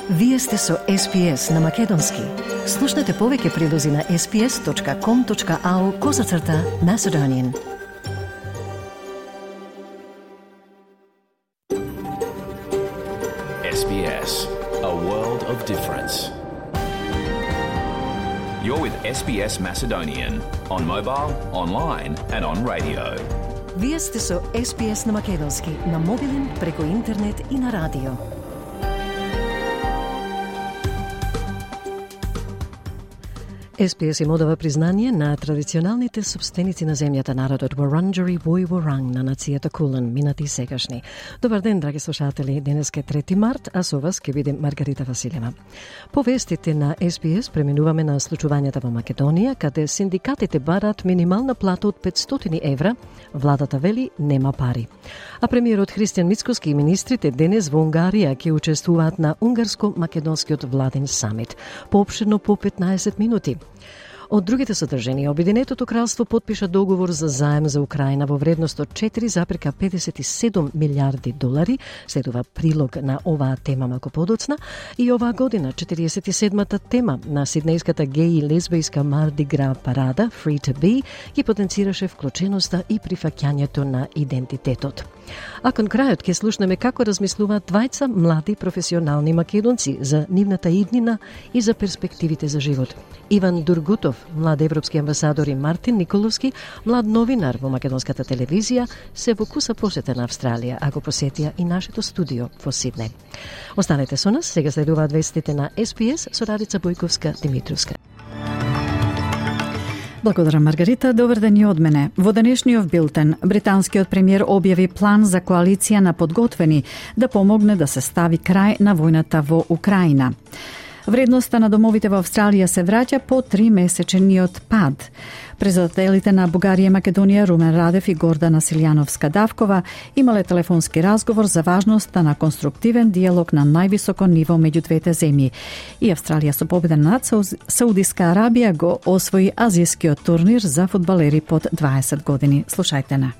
Вие сте со SPS на Македонски. Слушнете повеќе прилози на sps.com.au/Macedonian. SBS, a world of difference. You're with SBS Macedonian on mobile, online and on radio. Вие сте со SPS на Македонски на мобилен, преку интернет и на радио. SPS им одава признание на традиционалните собственици на земјата, народот Wurundjeri Woi Wurrung на нацијата Кулен, минати и сегашни. Добар ден, драги слушатели, денеска е 3 март, а со вас ќе биде Маргарита Василева. По вестите на SPS преминуваме на случувањата во Македонија, каде синдикатите бараат минимална плата од 500 евра, владата вели нема пари. А премиерот Христијан Мицкоски и министрите денес во Унгарија ќе учествуваат на унгарско-македонскиот владен самит, поопширно по 15 минути. Од другите содржини, Обединетото кралство потпиша договор за заем за Украина во вредност од 4,57 милиарди долари, следува прилог на оваа тема малку подоцна, и оваа година 47-та тема на сиднејската геј и лесбијска Марди Гра парада Free to Be ги потенцираше вклученоста и прифаќањето на идентитетот. А кон крајот ќе слушнеме како размислуваат двајца млади професионални македонци за нивната иднина и за перспективите за живот. Иван Дургутов, млад европски амбасадор, и Мартин Николовски, млад новинар во македонската телевизија, се во куса посета на Австралија, а го посетија и нашето студио во Сиднеј. Останете со нас, сега следуваат вестите на SPS со Радица Бојковска-Димитровска. Благодарам, Маргарита. Добар ден и од мене. Во денешниот билтен, британскиот премиер објави план за коалиција на подготвени да помогне да се стави крај на војната во Украина. Вредноста на домовите во Австралија се враќа по 3-месечниот пад. Председателите на Бугарија и Македонија Румен Радев и Гордана Силјановска-Давкова имале телефонски разговор за важноста на конструктивен диалог на највисоко ниво меѓу двете земји. И Австралија со победа над Саудиска Арабија го освои азијскиот турнир за фудбалери под 20 години. Слушајте на.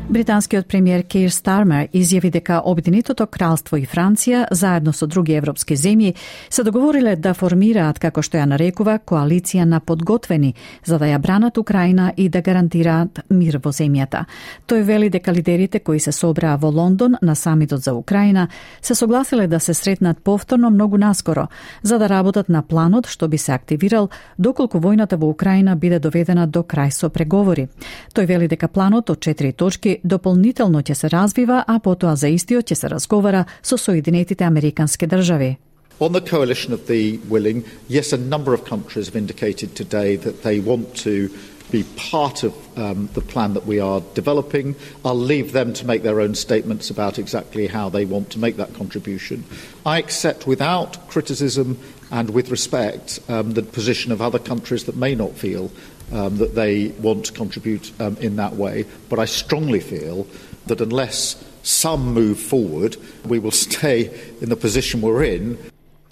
Британскиот премиер Кейр Стармер изјави дека Обединетото кралство и Франција, заедно со други европски земји, се договориле да формираат, како што ја нарекува, коалиција на подготвени, за да ја бранат Украина и да гарантираат мир во земјата. Тој вели дека лидерите кои се собраа во Лондон на самитот за Украина се согласиле да се сретнат повторно многу наскоро, за да работат на планот што би се активирал доколку војната во Украина биде доведена до крај со преговори. Тој вели дека планот од 4 точки дополнително ќе се развива, а потоа за истиот ќе се разговара со Соединетите Американски држави. On the coalition of the willing, yes, a number of countries have indicated today that they want to be part of the plan that we are developing. I'll leave them to make their own statements about exactly how they want to make that contribution. I accept without criticism and with respect the position of other countries that may not feel that they want to contribute in that way, but I strongly feel that unless some move forward, we will stay in the position we're in.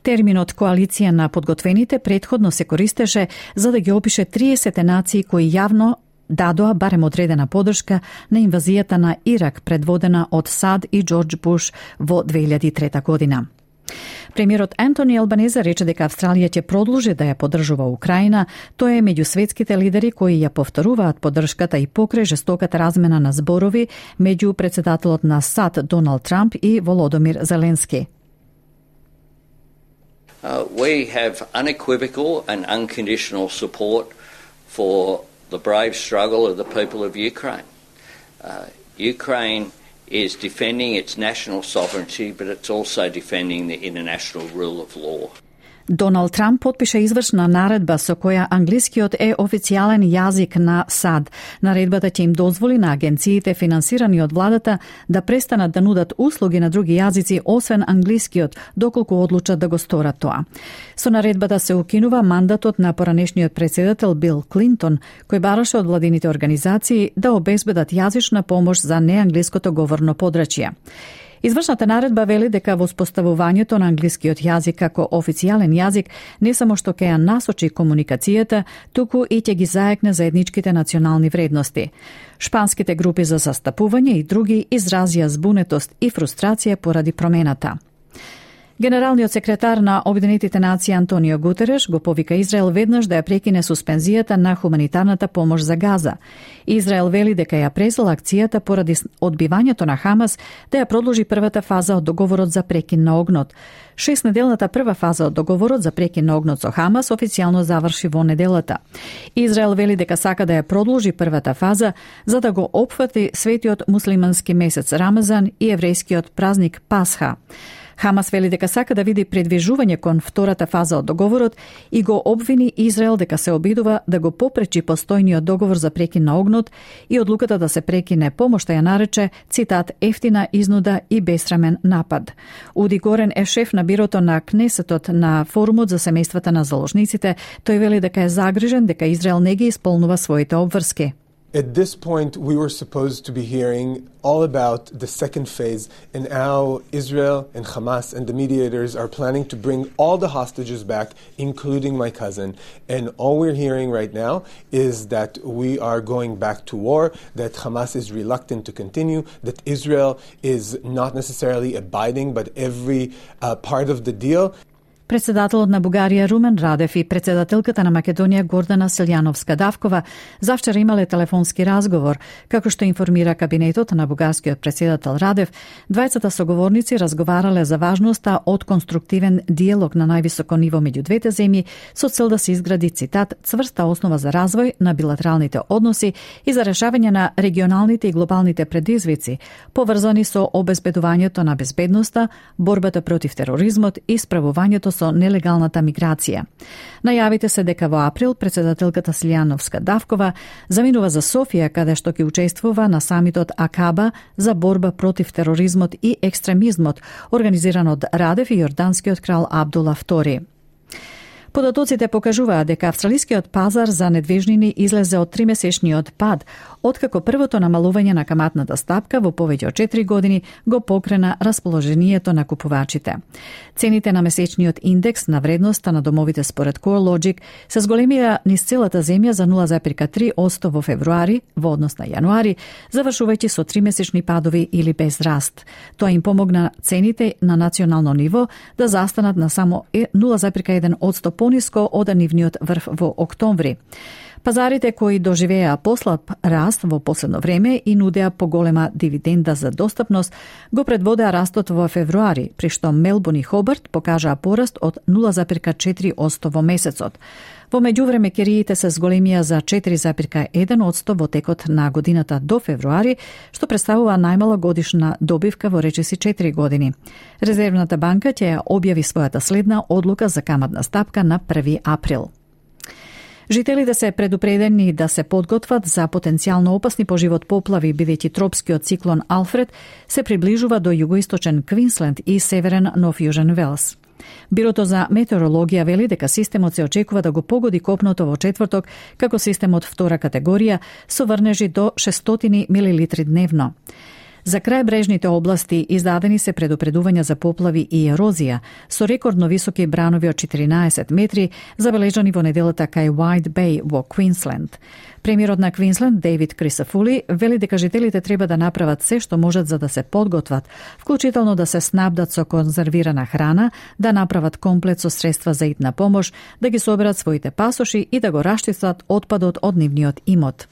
Терминот коалиција на подготвените претходно се користеше за да ги опише 30 нации кои јавно дадоа барем одредена подршка на инвазијата на Ирак предводена од САД и Џорџ Буш во 2003 година. Премиерот Антони Албанезе рече дека Австралија ќе продолжи да ја поддржува Украина. Тој е меѓу светските лидери кои ја повторуваат поддршката и покрај жестоката размена на зборови меѓу председателот на САД Доналд Трамп и Володомир Зеленски. We have unequivocal and unconditional support for the brave struggle of the people of Ukraine. Ukraine is defending its national sovereignty, but it's also defending the international rule of law. Доналд Трамп потпиша извршна наредба со која англискиот е официјален јазик на САД. Наредбата ќе им дозволи на агенциите финансирани од владата да престанат да нудат услуги на други јазици освен англискиот, доколку одлучат да го сторат тоа. Со наредбата се укинува мандатот на поранешниот председател Бил Клинтон, кој бараше од владините организации да обезбедат јазична помош за неанглиското говорно подрачје. Извршната наредба вели дека воспоставувањето на англискиот јазик како официјален јазик не само што ќе ја насочи комуникацијата, туку и ќе ги заекне заедничките национални вредности. Шпанските групи за застапување и други изразија збунетост и фрустрација поради промената. Генералниот секретар на Обединетите нации Антонио Гутереш го повика Израел веднаш да ја прекине суспензијата на хуманитарната помош за Газа. Израел вели дека ја презел акцијата поради одбивањето на Хамас да ја продолжи првата фаза од договорот за прекин на огнот. 6-неделната прва фаза од договорот за прекин на огнот со Хамас официјално заврши во неделата. Израел вели дека сака да ја продолжи првата фаза за да го опфати светиот муслимански месец Рамазан и еврејскиот празник Пасха. Хамас вели дека сака да види предвижување кон втората фаза од договорот и го обвини Израел дека се обидува да го попречи постојниот договор за прекин на огнот и одлуката да се прекине помошта ја нарече, цитат, ефтина изнуда и бесрамен напад. Уди Горен е шеф на бирото на Кнесетот на форумот за семејствата на заложниците. Тој вели дека е загрижен дека Израел не ги исполнува своите обврски. At this point, we were supposed to be hearing all about the second phase and how Israel and Hamas and the mediators are planning to bring all the hostages back, including my cousin. And all we're hearing right now is that we are going back to war, that Hamas is reluctant to continue, that Israel is not necessarily abiding, but every part of the deal. Председателот на Бугарија Румен Радев и председателката на Македонија Гордана Селјановска-Давкова завчера имале телефонски разговор. Како што информира кабинетот на бугарскиот председател Радев, двајцата соговорници разговарале за важноста од конструктивен диалог на највисоко ниво меѓу двете земји со цел да се изгради, цитат, цврста основа за развој на билатералните односи и за решавање на регионалните и глобалните предизвици, поврзани со обезбедувањето на безбедноста, борбата против тероризмот и справувањето со нелегалната миграција. Најавите се дека во април председателката Селјановска-Давкова заминува за Софија, каде што ќе учествува на самитот Акаба за борба против тероризмот и екстремизмот, организиран од Радев и јорданскиот крал Абдула II. Податоците покажуваат дека австралискиот пазар за недвижнини излезе од 3-месечниот пад, откако првото намалување на каматната стапка во повеќе од 4 години го покрена расположението на купувачите. Цените на месечниот индекс на вредноста на домовите според CoreLogic се зголемија низ целата земја за 0,3% во февруари во однос на јануари, завршувајќи со 3-месечни падови или без раст. Тоа им помогна цените на национално ниво да застанат на само 0,1% пониско од нивниот врв во октомври. Пазарите кои доживеа послаб раст во последно време и нудеа поголема дивиденда за достапност, го предводеа растот во февруари, при што Мелбурн и Хобарт покажаа пораст од 0,4% во месецот. Во меѓувреме кириите се зголемија за 4,1% во текот на годината до февруари, што представува најмала годишна добивка во речиси 4 години. Резервната банка ќе ја објави својата следна одлука за каматна стапка на 1 април. Жителите се предупредени да се подготват за потенцијално опасни по живот поплави, бидејќи тропскиот циклон Алфред се приближува до југоисточен Квинсленд и северен Нов Јужен Велс. Бирото за метеорологија вели дека системот се очекува да го погоди копното во четврток како системот втора категорија со врнежи до 600 милилитри дневно. За крајбрежните области издадени се предупредувања за поплави и ерозија, со рекордно високи бранови од 14 метри, забележани во неделата кај White Bay во Квинсленд. Премиерот на Квинсленд, Дейвид Крисафули, вели дека жителите треба да направат се што можат за да се подготват, вклучително да се снабдат со конзервирана храна, да направат комплет со средства за итна помош, да ги соберат своите пасоши и да го раштистат отпадот од нивниот имот.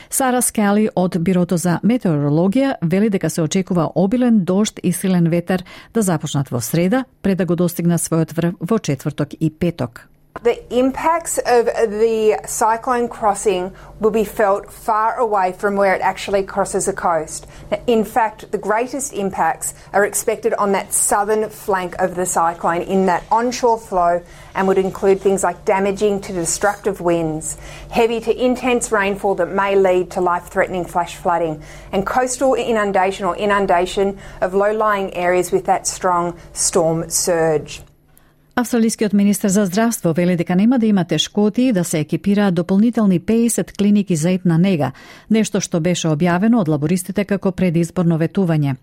Сара Скали од Бирото за метеорологија вели дека се очекува обилен дожд и силен ветер да започнат во среда, пред да го достигнат својот врв во четврток и петок. The impacts of the cyclone crossing will be felt far away from where it actually crosses the coast. In fact, the greatest impacts are expected on that southern flank of the cyclone in that onshore flow and would include things like damaging to destructive winds, heavy to intense rainfall that may lead to life-threatening flash flooding, and coastal inundation or inundation of low-lying areas with that strong storm surge. Австралискиот министер за здравство вели дека нема да има тешкоти да се екипираат дополнителни 50 клиники за етна нега, нешто што беше објавено од лабористите како предизборно ветување.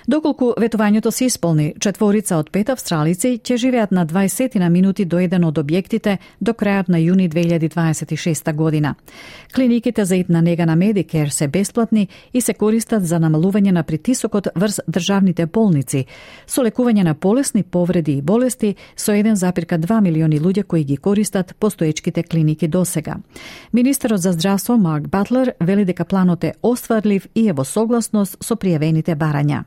Доколку ветувањето се исполни, 4 од 5 австралици ќе живеат на 20 на минути до еден од објектите до крајот на јуни 2026 година. Клиниките за етна нега на Medicare се бесплатни и се користат за намалување на притисокот врз државните болници, со лекување на полесни повреди и болести со 1,2 милиони луѓе кои ги користат постоечките клиники досега. Министерот за здравство Марк Батлер вели дека планот е остварлив и е во согласност со пријавените барања.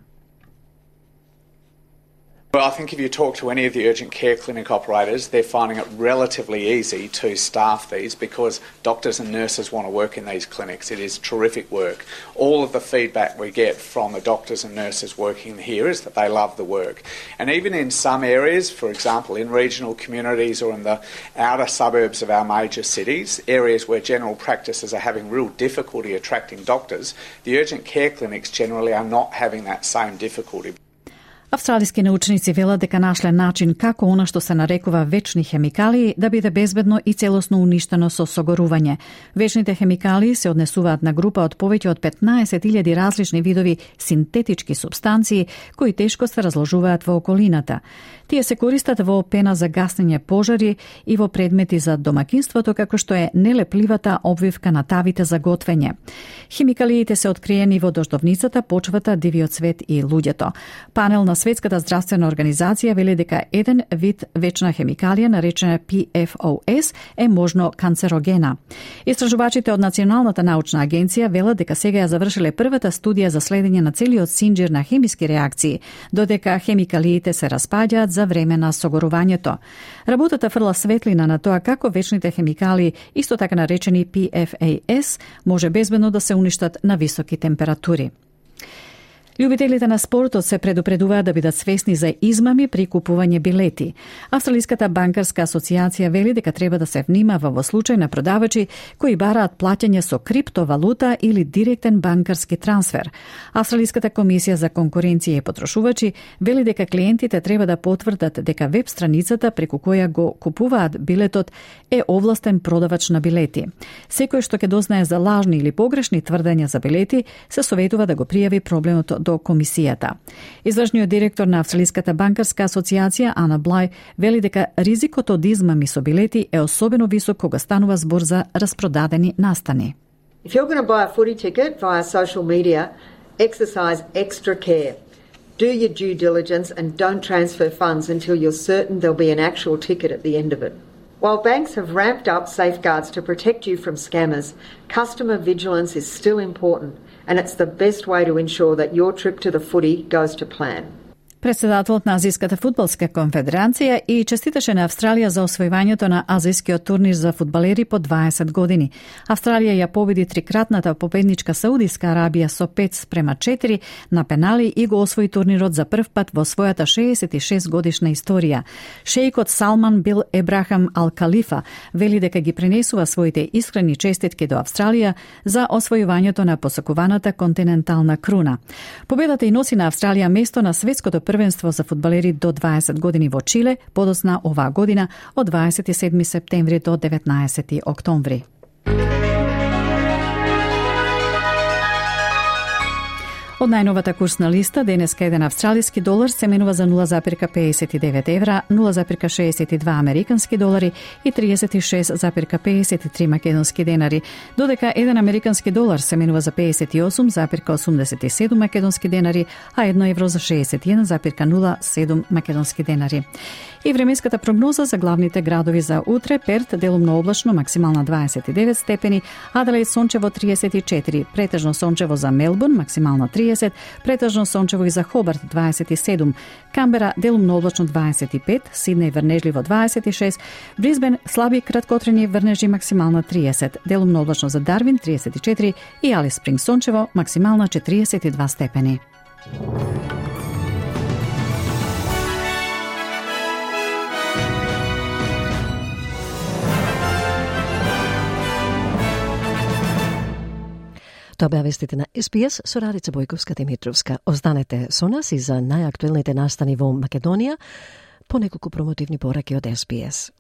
Well, I think if you talk to any of the urgent care clinic operators, they're finding it relatively easy to staff these because doctors and nurses want to work in these clinics. It is terrific work. All of the feedback we get from the doctors and nurses working here is that they love the work. And even in some areas, for example, in regional communities or in the outer suburbs of our major cities, areas where general practices are having real difficulty attracting doctors, the urgent care clinics generally are not having that same difficulty. Австралиски научници велат дека нашле начин како она што се нарекува вечни хемикалии да биде безбедно и целосно уништено со согорување. Вечните хемикалии се однесуваат на група од повеќе од 15.000 различни видови синтетички супстанции кои тешко се разложуваат во околината. Тие се користат во пена за гаснење пожари и во предмети за домакинството, како што е нелепливата обвивка на тавите за готвење. Хемикалиите се откриени во дождовницата, почвата, дивиот свет и луѓето. Панел на Светската здравствена организација вели дека еден вид вечна хемикалија, наречена PFOS, е можно канцерогена. Истражувачите од Националната научна агенција велат дека сега ја завршиле првата студија за следење на целиот синџир на хемиски реакции, додека хемикалиите се распаѓаат за време на согорувањето. Работата фрла светлина на тоа како вечните хемикалии, исто така наречени PFAS, може безбедно да се уништат на високи температури. Љубителите на спортот се предупредуваат да бидат свесни за измами при купување билети. Австралиската банкарска асоциација вели дека треба да се внимава во случај на продавачи кои бараат плаќање со криптовалута или директен банкарски трансфер. Австралиската комисија за конкуренција и потрошувачи вели дека клиентите треба да потврдат дека веб страницата преку која го купуваат билетот е овластен продавач на билети. Секој што ќе дознае за лажни или погрешни тврдења за билети се советува да го пријави проблемот до комисијата. Извршниот директор на Австралиската банкарска асоциација Ана Блај вели дека ризикот од измами со билети е особено висок кога станува збор за распродадени настани. If you're going to buy a footy ticket via social media, exercise extra care. Do your due diligence and don't transfer funds until you're certain there'll be an actual ticket at the end of it. While banks have ramped up safeguards to protect you from scammers, customer vigilance is still important, and it's the best way to ensure that your trip to the footy goes to plan. Председателот на Азијската фудбалска конфедерација и честиташе на Австралија за освојувањето на азијскиот турнир за фудбалери по 20 години. Австралија ја победи трикратната победничка Саудиска Арабија со 5-4 на пенали и го освои турнирот за прв пат во својата 66 годишна историја. Шејкот Салман бил Ебрахам Ал Калифа вели дека ги пренесува своите искрени честитки до Австралија за освојувањето на посакуваната континентална круна. Победата и носи на Австралија место на светското првенство за фудбалери до 20 години во Чиле, подоцна оваа година од 27 септември до 19 октомври. Од најновата курсна листа, денеска еден австралиски долар се менува за 0,59 евра, 0,62 американски долари и 36,53 македонски денари, додека еден американски долар се менува за 58,87 македонски денари, а 1 евро за 61,07 македонски денари. И временската прогноза за главните градови за утре: Перт делумно облачно, максимална 29 степени, Аделаид сончево 34, претежно сончево за Мелбурн, максимална 30, претежно сончево и за Хобарт 27, Камбера делумно облачно 25, Сиднеј врнежливо 26, Брисбен слаби краткотрени врнежи, максимална 30, делумно облачно за Дарвин 34 и Алис Спрингс сончево, максимална 42 степени. Тоа беа вестите на СПС со Радица Бојковска Димитровска. Останете со нас и за најактуелните настани во Македонија. по неколку промотивни пораки од СПС.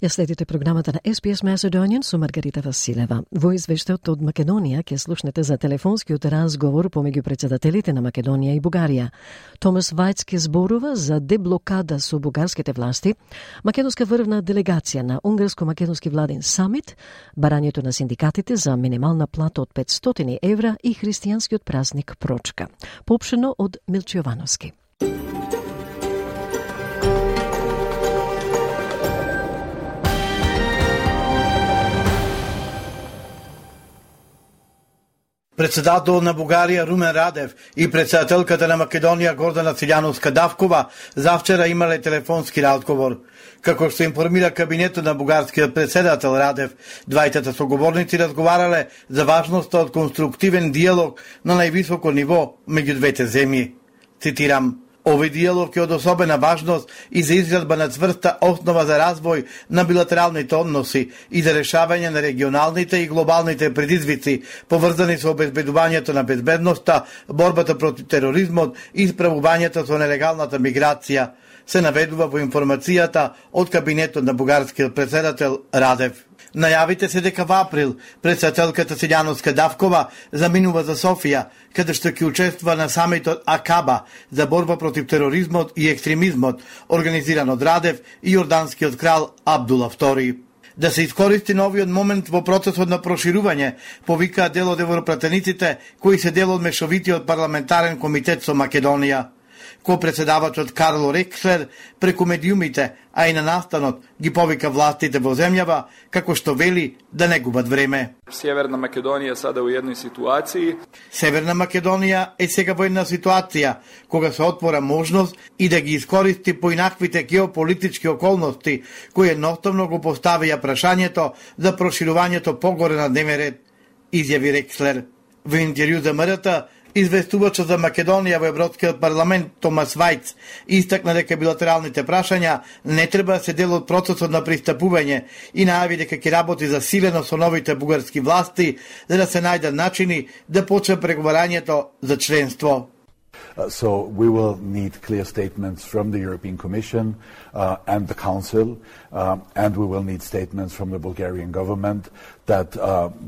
Ја следите програмата на SBS Macedonian со Маргарита Василева. Во извештајот од Македонија ќе слушнете за телефонскиот разговор помеѓу председателите на Македонија и Бугарија. Томас Вајц ќе зборува за деблокада со бугарските власти, македонска врвна делегација на унгарско-македонски владин самит, барањето на синдикатите за минимална плата од 500 евра и христијанскиот празник Прочка. Поопштено од Милчо Јовановски. Председател на Бугарија Румен Радев и председателката на Македонија Гордана Циљановска-Давкова завчера имале телефонски разговор. Како што информира кабинетот на бугарскиот председател Радев, двајтата соговорници разговарале за важноста од конструктивен диалог на највисоко ниво меѓу двете земји. Цитирам: "Овој диалог е од особена важност и за изградба на цврста основа за развој на билатералните односи и за решавање на регионалните и глобалните предизвици, поврзани со обезбедувањето на безбедноста, борбата против тероризмот и справувањето со нелегалната миграција", се наведува во информацијата од кабинетот на бугарскиот председател Радев. Најавите се дека во април председателката Циљановска-Давкова заминува за Софија, каде што ќе учествува на самитот Акаба за борба против тероризмот и екстремизмот, организиран од Радев и јорданскиот крал Абдула II. Да се искористи новиот момент во процесот на проширување, повикаа дел од европратениците кои се дел од мешовитиот парламентарен комитет со Македонија. Ко-председавачот Карло Рекслер преку медиумите, а и на настанот ги повика властите во земјава, како што вели да не губат време. Северна Македонија сада во едној ситуација. Северна Македонија е сега во една ситуација кога се отвора можност и да ги искористи поинаквите геополитички околности кои едноставно го поставија прашањето за проширувањето погоре на дневен ред, изјави Рекслер. Во интервју за МРТ, известувачот за Македонија во Европскиот парламент Томас Вајц истакна дека билатералните прашања не треба да се дел од процесот на пристапување и најави дека ќе работи засилено со новите бугарски власти за да се најдат начини да почне преговарањето за членство. So we will need clear statements from the European Commission and the Council, and we will need statements from the Bulgarian government that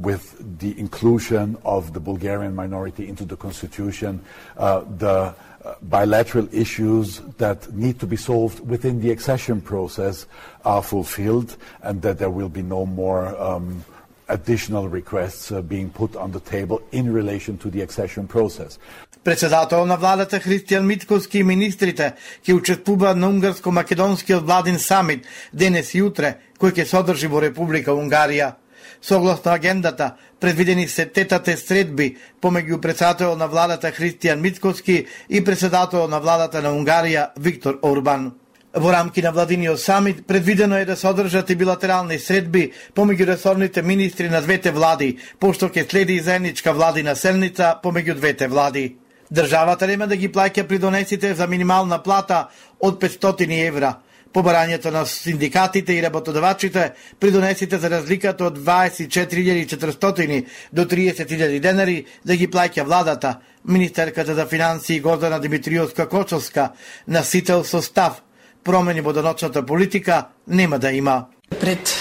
with the inclusion of the Bulgarian minority into the constitution, the bilateral issues that need to be solved within the accession process are fulfilled, and that there will be no more additional requests being put on the table in relation to the accession process. Председател на владата Христијан Мицкоски и министрите ќе учествуваат на унгарско-македонскиот владин самит денес и утре, кој ќе се одржи во Република Унгарија. Согласно агендата, предвидени се тетате средби помеѓу председател на владата Христијан Мицкоски и председател на владата на Унгарија Виктор Орбан. Во рамки на владиниот самит предвидено е да се одржат и билатерални средби помеѓу ресорните министри на двете влади, пошто ќе следи и заедничка владина седница помеѓу двете влади. Државата нема да ги плаќа придонесите за минимална плата од 500 евра. По барањето на синдикатите и работодавачите, придонесите за разликата од 24.400 до 30.000 денари да ги плаќа владата. Министерката за финансии Гордана Димитриевска-Кочовска насител со став: промени во даночната политика нема да има. Пред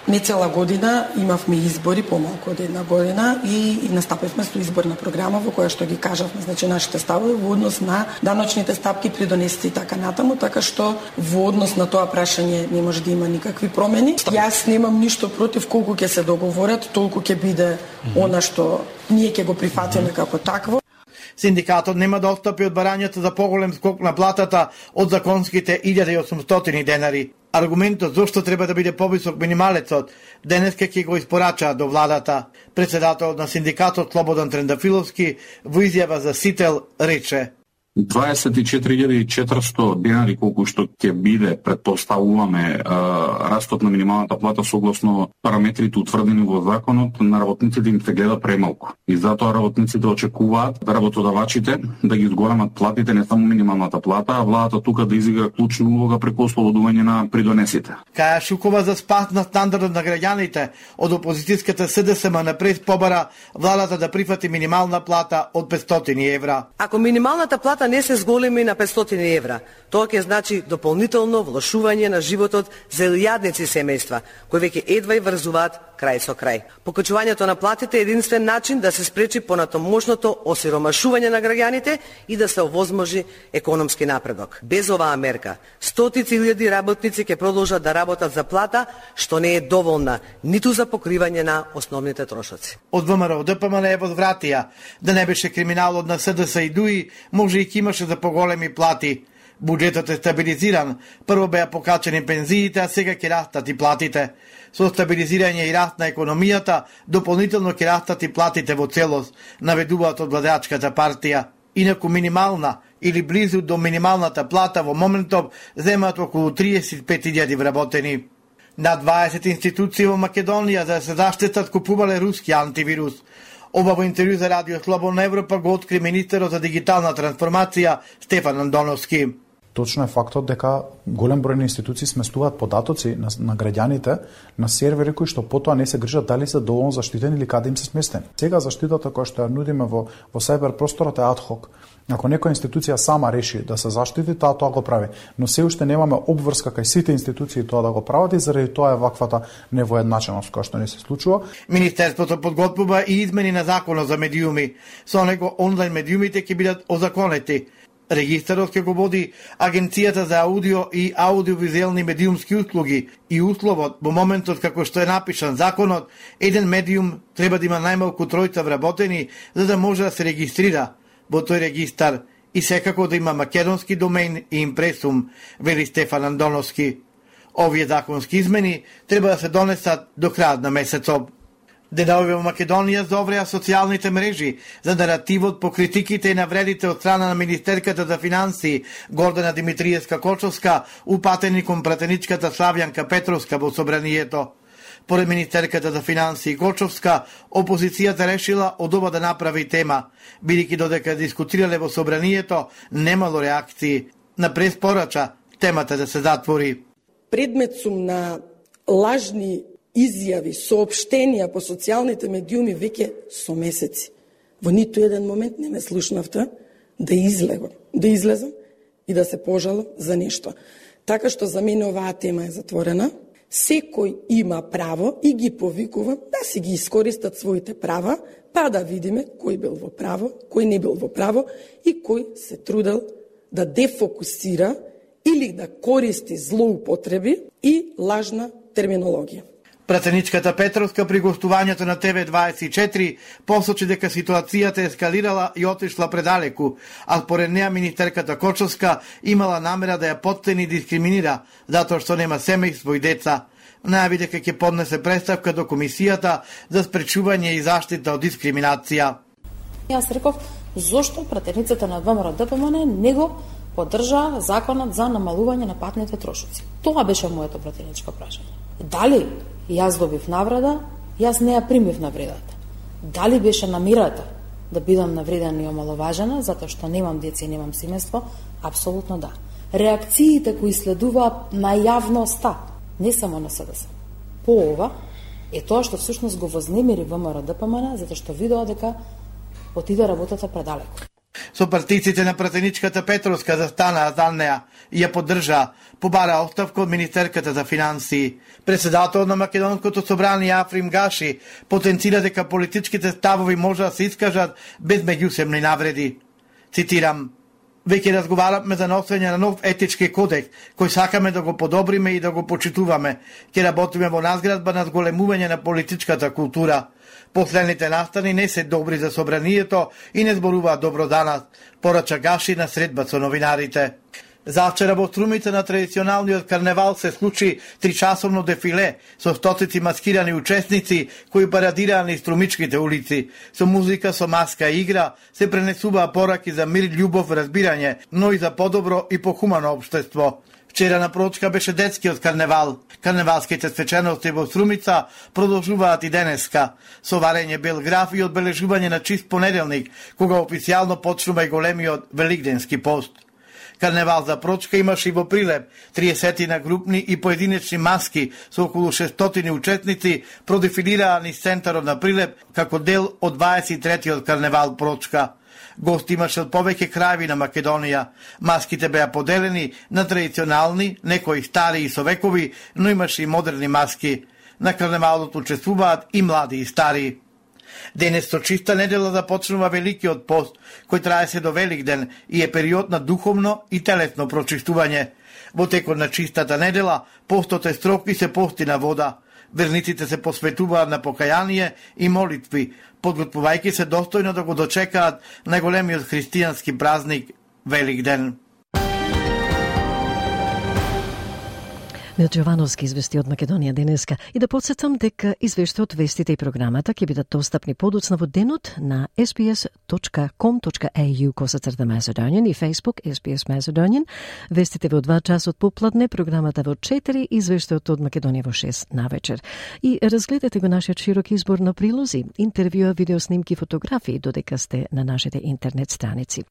нецела година имавме избори, помалку од една година, и настапивме со изборна програма во која што ги кажавме, значи нашите ставови во однос на даночните стапки, придонесите и така натаму, така што во однос на тоа прашање не може да има никакви промени. Јас немам ништо против, колку ќе се договорат, толку ќе биде она што ние ќе го прифатиме како такво. Синдикатот нема да отстапи од барањето за поголем скок на платата од законските 1800 денари. Аргументот зошто треба да биде повисок минималецот денеска ќе го испорачаат до владата. Председателот на синдикатот Слободан Трендафиловски во изјава за Сител рече: 24.400 денари колку што ќе биде, предпоставуваме, растот на минималната плата согласно параметрите утврдени во законот, на работниците им се гледа премалку. И затоа работниците очекуваат работодавачите да ги зголемат платите, не само минималната плата, а владата тука да изигра клучна улога преку ослободување на придонесите. Каја Шукова за спас на стандардот на граѓаните од опозицијската СДСМ на прес побара владата да прифати минимална плата од 500 евра. Ако минималната плата плата не се зголеми на 500 евра. Тоа ќе значи дополнително влошување на животот за илјадници семејства, кои веќе едва и врзуваат крај со крај. Покачувањето на платите е единствен начин да се спречи понатомошното осиромашување на граѓаните и да се овозможи економски напредок. Без оваа мерка, стотици илјади работници ќе продолжат да работат за плата, што не е доволна ниту за покривање на основните трошоци. Од ВМРО ДПМН е возвратија, да не беше криминалот на СДС и ДУИ, може и имаше за поголеми плати. Буџетот е стабилизиран, прво беа покачени пензиите, а сега ќе растат и платите. Со стабилизирање и раст на економијата, дополнително ќе растат и платите во целост, наведуваат од владеачката партија. Инаку минимална или близу до минималната плата во моментов земаат околу 35.000 вработени. На 20 институции во Македонија за да се заштитат купувале руски антивирус. Ова во интервју за Радио Слободна Европа го откри министерот за дигитална трансформација Стефан Андоновски. Точно е фактот дека голем број на институции сместуваат податоци на граѓаните на сервери кои што потоа не се грижат дали се доволно заштитени или каде им се сместени. Сега заштитата која што ја нудиме во сајбер просторот е адхок. Ако некоја институција сама реши да се заштити, тоа го прави. Но се уште немаме обврска кај сите институции тоа да го прават и заради тоа е ваквата невоедначеност која што не се случува. Министерството подготвува и измени на законот за медиуми. Со него онлайн медиумите ќе бидат озаконети. Регистарот ќе го води Агенцијата за аудио и аудиовизуелни медиумски услуги и условот во моментот како што е напишан законот, еден медиум треба да има најмалку 3 вработени за да може да се регистрира во тој регистар и секако да има македонски домен и импресум, вели Стефан Андоновски. Овие законски измени треба да се донесат до крајот на месецот. Деновиве во Македонија зовреа социјалните мрежи за наративот по критиките и навредите од страна на министерката за финансии Гордана Димитриевска-Кочовска упатени кон пратеничката Славјанка Петровска во собранието. Поред министерката за финансии Кочовска, опозицијата решила од ова да направи тема, бидејќи додека дискутирале во собранието, немало реакции. На преспорача темата да се затвори. Предмет сум на лажни изјави, соопштенија по социјалните медиуми веќе со месеци. Во ниту еден момент не ме слушнавте да излезам и да се пожалам за нешто. Така што за мене оваа тема е затворена. Секој има право и ги повикувам да си ги искористат своите права, па да видиме кој бил во право, кој не бил во право и кој се трудел да дефокусира или да користи злоупотреби и лажна терминологија. Пратеничката Петровска при гостувањето на ТВ24 посочи дека ситуацијата ескалирала и отишла предалеку, а според неа министерката Кочовска имала намера да ја поттени и дискриминира, затоа што нема семејство и деца. Најави дека ќе поднесе представка до Комисијата за спречување и заштита од дискриминација. Јас реков, зошто пратеницата на ВМРО ДПМН не го поддржа законот за намалување на патните трошоци? Тоа беше моето пратеничко прашање. Дали јас добив навреда, јас не ја примив навредата. Дали беше намирата да бидам навредена и омаловажена, затоа што немам деца и немам семејство? Апсолутно да. Реакциите кои следуваат на јавноста, не само на СДС. По ова е тоа што всушност го вознемири ВМРО ДПМН, затоа што видоа дека отиде работата предалеку. Со партиците на пратеничката Петровска застанаа за неа и ја поддржаа, побара оставка од министерката за финансии. Председателот на Македонското собрание Африм Гаши потенцира дека политичките ставови може да се искажат без меѓусебни навреди. Цитирам: "Веќе разговаравме за носење на нов етички кодекс, кој сакаме да го подобриме и да го почитуваме. Ќе работиме во надградба на зголемување на политичката култура. Последните настани не се добри за собранието и не зборуваат добро за нас", порача Гаши на средба со новинарите. Завчера во Струмица на традиционалниот карневал се случи тричасовно дефиле со стотици маскирани учесници кои парадираа низ струмичките улици. Со музика, со маска и игра се пренесуваа пораки за мир, љубов, разбирање, но и за подобро и похумано општество. Вчера на прочка беше детскиот карневал. Карневалските свечености во Струмица продолжуваат и денеска, со варење бел граф и одбележување на чист понеделник, кога официјално почнува и големиот великденски пост. Карневал за Прочка имаше и во Прилеп 30 на групни и поединечни маски со околу 600 учесници продефилираа низ центарот на Прилеп како дел од 23-тиот Карневал Прочка. Гости имаше од повеќе крајеви на Македонија. Маските беа поделени на традиционални, некои стари и со векови, но имаше и модерни маски. На карневалот учествуваат и млади и стари. Денес со чиста недела започнува Великиот пост, кој трае се до Великден и е период на духовно и телесно прочистување. Во текот на чистата недела, постот е строг и се пости на вода. Верниците се посветуваат на покаяние и молитви, подготвувајќи се достојно да го дочекаат најголемиот христијански празник Великден. Милчо Јовановски извести од Македонија денеска и да подсетам дека извештајот, вестите и програмата ќе бидат достапни подоцна во денот на sbs.com.au/Macedonian и Facebook SBS Macedonian. Вестите во 2 часот попладне, програмата во 4 и извештајот од Македонија во 6 навечер. И разгледате го нашиот широк избор на прилози, интервјуа, видеоснимки, фотографии додека сте на нашите интернет страници.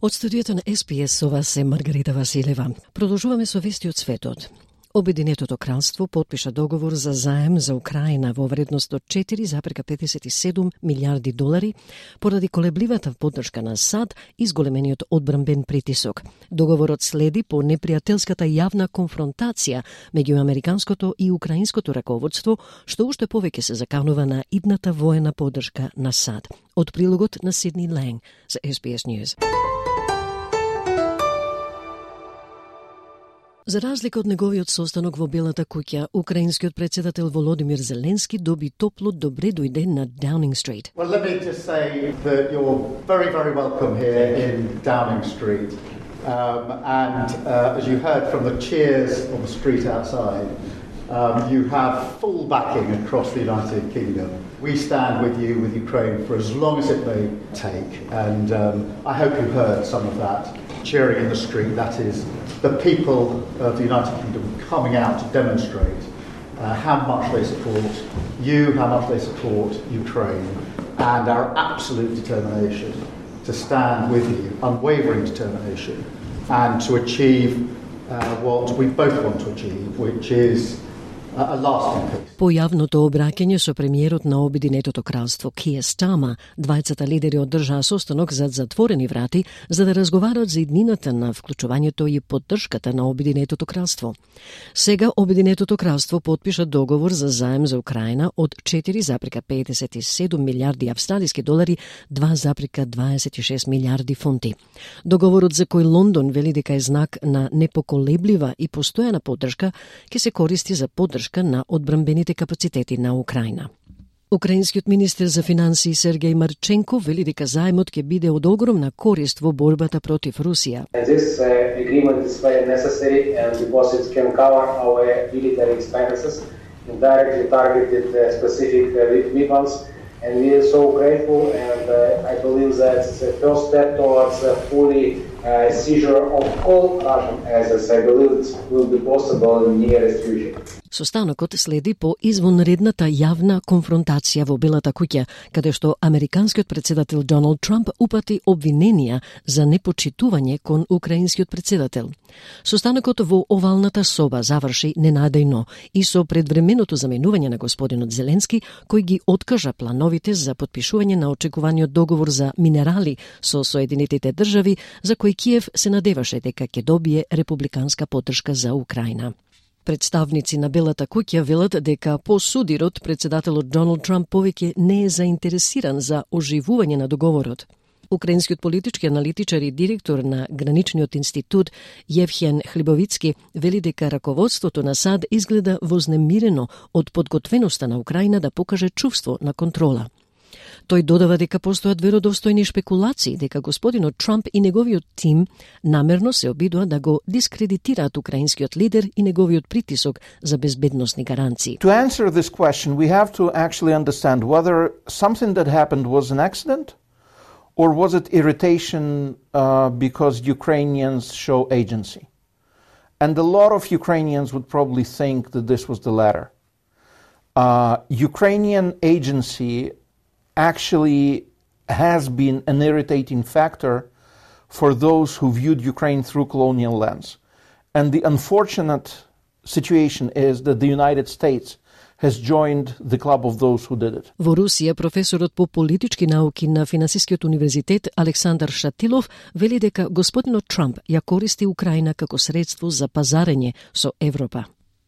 Од студиото на SBS со вас е Маргарита Василева. Продолжуваме со вести од светот. Обединетото кралство подпиша договор за заем за Украина во вредност од 4,57 милиарди долари поради колебливата поддршка на САД и зголемениот одбранбен притисок. Договорот следи по непријателската јавна конфронтација меѓу американското и украинското раководство, што уште повеќе се заканува на идната воена поддршка на САД. Од прилогот на Сидни Ланг за SBS News. За разлика од неговиот состанок во Белата куќа, украинскиот председател Володимир Зеленски доби топло добре дојде на Downing Street. Well, let me just say that you're very, very welcome here in Downing Street. And as you heard from the cheers on the street outside, you have full backing across the United Kingdom. We stand with you, with Ukraine, for as long as it may take. And I hope you heard some of that cheering in the street. That is the people of the United Kingdom coming out to demonstrate how much they support you, how much they support Ukraine, and our absolute determination to stand with you, unwavering determination, and to achieve what we both want to achieve, which is a lasting peace. По јавното обраќање со премиерот на Обединетото кралство Киер Стама, двајцата лидери одржаа состанок зад затворени врати за да разговараат за иднината на вклучувањето и поддршката на Обединетото кралство. Сега Обединетото кралство подпиша договор за заем за Украина од 4,57 милиарди австралиски долари, 2,26 милиарди фунти. Договорот за кој Лондон вели дека е знак на непоколеблива и постојана поддршка ќе се користи за поддршка на одбранбените капацитети на Украина. Украинскиот министер за финансии Сергеј Марченко вели дека заемот ќе биде од огромна корист во борбата против Русија. This agreement is very necessary and deposits can cover our military expenses in directly targeted specific weapons, and we are so grateful, and I believe that it's a first step towards a fully seizure of all Russian assets. I believe it will be possible in the nearest future. Состанокот следи по извонредната јавна конфронтација во Белата куќа, каде што американскиот председател Доналд Трамп упати обвиненија за непочитување кон украинскиот председател. Состанокот во овалната соба заврши ненадејно и со предвременото заменување на господинот Зеленски, кој ги откажа плановите за подпишување на очекуваниот договор за минерали со Соединетите држави, за кој Киев се надеваше дека ќе добие републиканска поддршка за Украина. Представници на Белата куќа велат дека по судирот председателот Доналд Трамп повеќе не е заинтересиран за оживување на договорот. Украинскиот политички аналитичар и директор на Граничниот институт Евхен Хлибовицки вели дека раководството на САД изгледа вознемирено од подготвеноста на Украина да покаже чувство на контрола. Тој додава дека постојат веродостојни шпекулации дека господинот Трамп и неговиот тим намерно се обидува да го дискредитираат украинскиот лидер и неговиот притисок за безбедносни гаранции. To answer this question, we have to actually understand whether something that happened was an accident or was it irritation because Ukrainians show agency. And a lot of Ukrainians would probably think that this was the latter. Ukrainian agency actually has been an irritating factor for those who viewed Ukraine through colonial lens. And the unfortunate situation is that the United States has joined the club of those who did it. Во Русија, професорот по политички науки на Финансискиот универзитет Александар Шатилов вели дека господинот Трамп ја користи Украина како средство за пазарење со Европа.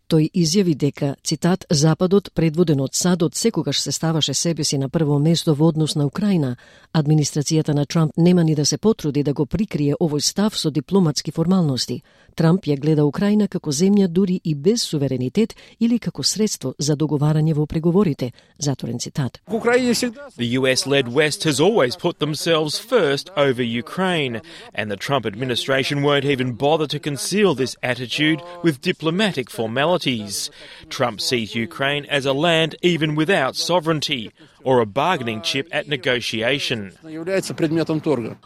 Тој изјави дека, цитат, Западот, предводен од САД, секогаш се ставаше себе си на прво место во однос на Украина. Администрацијата на Трамп нема ни да се потруди да го прикрие овој став со дипломатски формалности. Трамп ја гледа Украина како земја дури и без суверенитет или како средство за договарање во преговорите. Затворен цитат. The US-led West has always put themselves first over Ukraine, and the Trump administration won't even bother to conceal this attitude with diplomatic formalities. Trump sees Ukraine as a land even without sovereignty, or a bargaining chip at negotiation.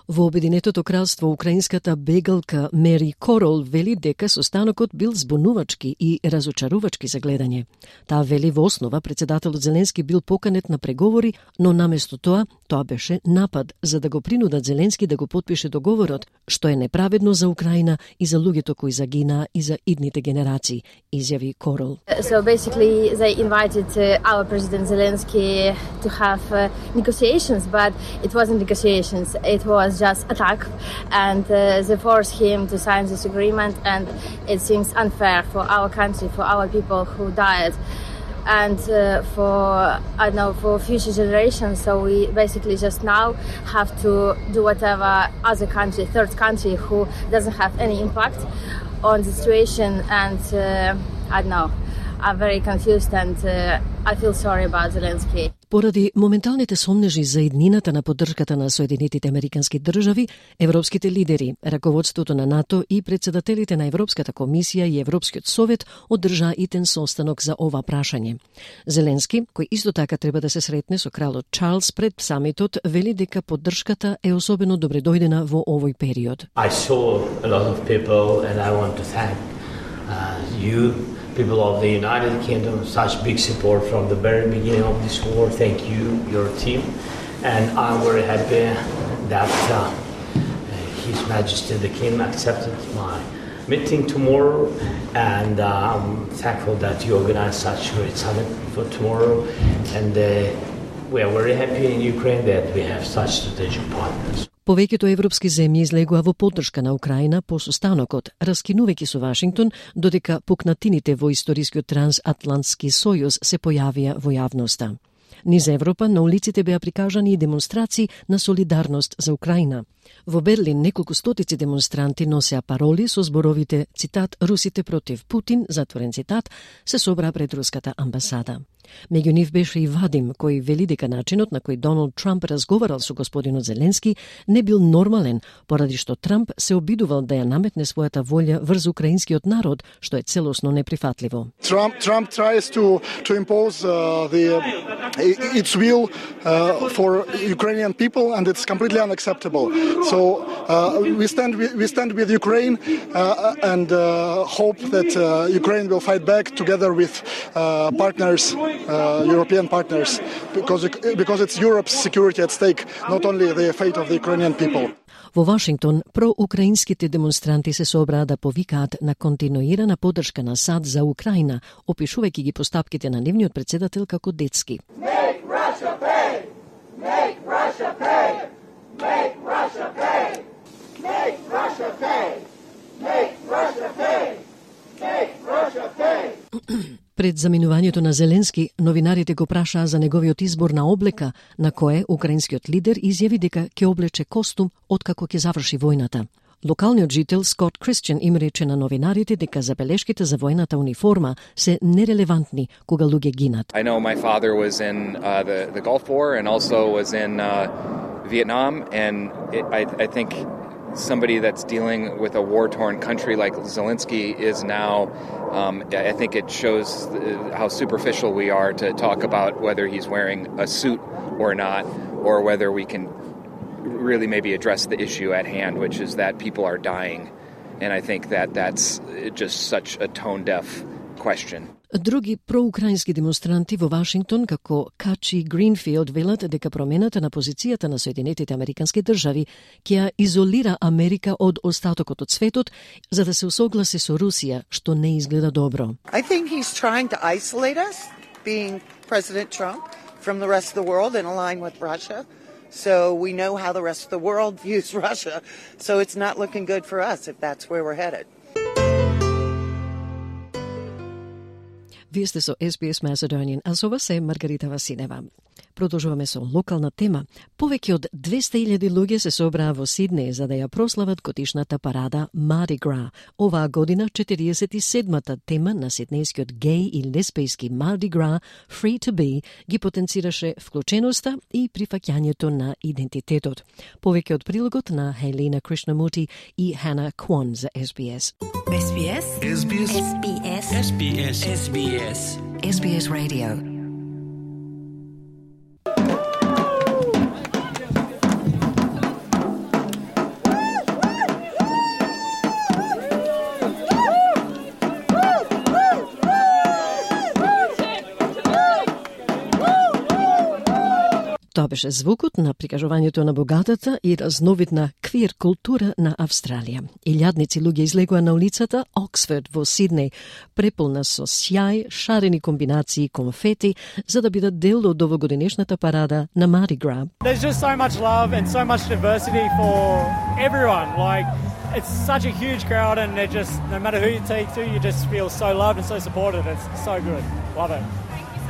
Во Обединетото кралство, украинската бегалка Мери Корол вели дека состанокот бил збунувачки и разочарувачки за гледање. Таа вели во основа председателот Зеленски бил поканет на преговори, но наместо тоа беше напад за да го принудат Зеленски да го потпише договорот, што е неправедно за Украина и за луѓето кои загинаа и за идните генерации, изјави Корол. So basically they invited our President Zelensky to have negotiations, but it wasn't negotiations, it was just attack, and they forced him to sign this agreement, and it seems unfair for our country, for our people who died, and for future generations. So we basically just now have to do whatever other country, third country, who doesn't have any impact on the situation, and I'm very confused, and I feel sorry about Zelensky. Поради моменталните сомнежи за иднината на поддршката на Соединетите Американски држави, европските лидери, раководството на НАТО и председателите на Европската комисија и Европскиот совет одржаа итен состанок за ова прашање. Зеленски, кој исто така треба да се сретне со кралот Чарлс пред самитот, вели дека поддршката е особено добредојдена во овој период. I saw a lot of people, and I want to thank you, people of the United Kingdom, such big support from the very beginning of this war. Thank you, your team. And I'm very happy that His Majesty the King accepted my meeting tomorrow. And I'm thankful that you organized such a great summit for tomorrow. And we are very happy in Ukraine that we have such strategic partners. Повеќето европски земји излегоа во поддршка на Украина по состанокот, раскинувајќи со Вашингтон, додека пукнатините во историскиот трансатлантски сојуз се појавија во јавноста. Низ Европа на улиците беа прикажани и демонстрации на солидарност за Украина. Во Берлин неколку стотици демонстранти носеа пароли со зборовите, цитат, Русите против Путин, затворен цитат, се собраа пред руската амбасада. Меѓу нив беше и Вадим, кој вели дека начинот на кој Доналд Трамп разговарал со господинот Зеленски не бил нормален, поради што Трамп се обидувал да ја наметне својата волја врз украинскиот народ, што е целосно неприфатливо. Trump tries to impose its will for Ukrainian people, and it's completely unacceptable. So we stand with Ukraine and hope that Ukraine will fight back together with partners, European partners, because it's Europe's security at stake, not only the fate of the Ukrainian people. Во Вашингтон, проукраинските демонстранти се собраа да повикаат на континуирана поддршка на САД за Украина, опишувајќи ги постапките на нивниот председател како детски. Make Russia pay! Make Russia pay! Make Russia pay! Make Russia pay! Make Russia pay! Make Russia pay! Пред заминувањето на Зеленски, новинарите го прашаа за неговиот избор на облека, на кое украинскиот лидер изјави дека ќе облече костум откако ќе заврши војната. Локалниот жител Скот Кристијан им рече на новинарите дека забелешките за војната униформа се нерелевантни кога луѓе гинат. I know my father was in the Gulf War and also was in Vietnam, and I think somebody that's dealing with a war-torn country like Zelensky is now, I think it shows how superficial we are to talk about whether he's wearing a suit or not, or whether we can really maybe address the issue at hand, which is that people are dying. And I think that that's just such a tone-deaf question. Други проукраински демонстранти во Вашингтон, како Качи Гринфилд, велат дека промената на позицијата на Соединетите Американски држави ќе ја изолира Америка од остатокот од светот, за да се усогласи со Русија, што не изгледа добро. I think he's trying to isolate us, being President Trump, from the rest of the world and align with Russia. So we know how the rest of the world views Russia. So it's not looking good for us if that's where we're headed. Вие сте со SBS Macedonian, а со вас е Маргарита Васинева. Продолжуваме со локална тема. Повеќе од 200.000 луѓе се собраа во Сиднеј за да ја прослават годишната парада Mardi Gras. Оваа година 47-та тема на сиднејскиот геј и лесбијски Mardi Gras Free to Be ги потенцираше вклученоста и прифаќањето на идентитетот. Повеќе од прилогот на Хелена Кришнамути и Хана Квон за SBS. SBS SBS SBS SBS SBS SBS Radio. Тоа беше звукот на прикажувањето на богатата и разновидна квир култура на Австралија. Илјадници луѓе излегоа на улицата Оксфорд во Сиднеј, преполна со сјај, шарени комбинации, конфети, за да бидат дел од овогодинешната парада на Mardi Gras. There's just so much love and so much diversity for everyone. Like, it's such a huge crowd and they're just, no matter who you take to, you just feel so loved and so supported. It's so good. Love it.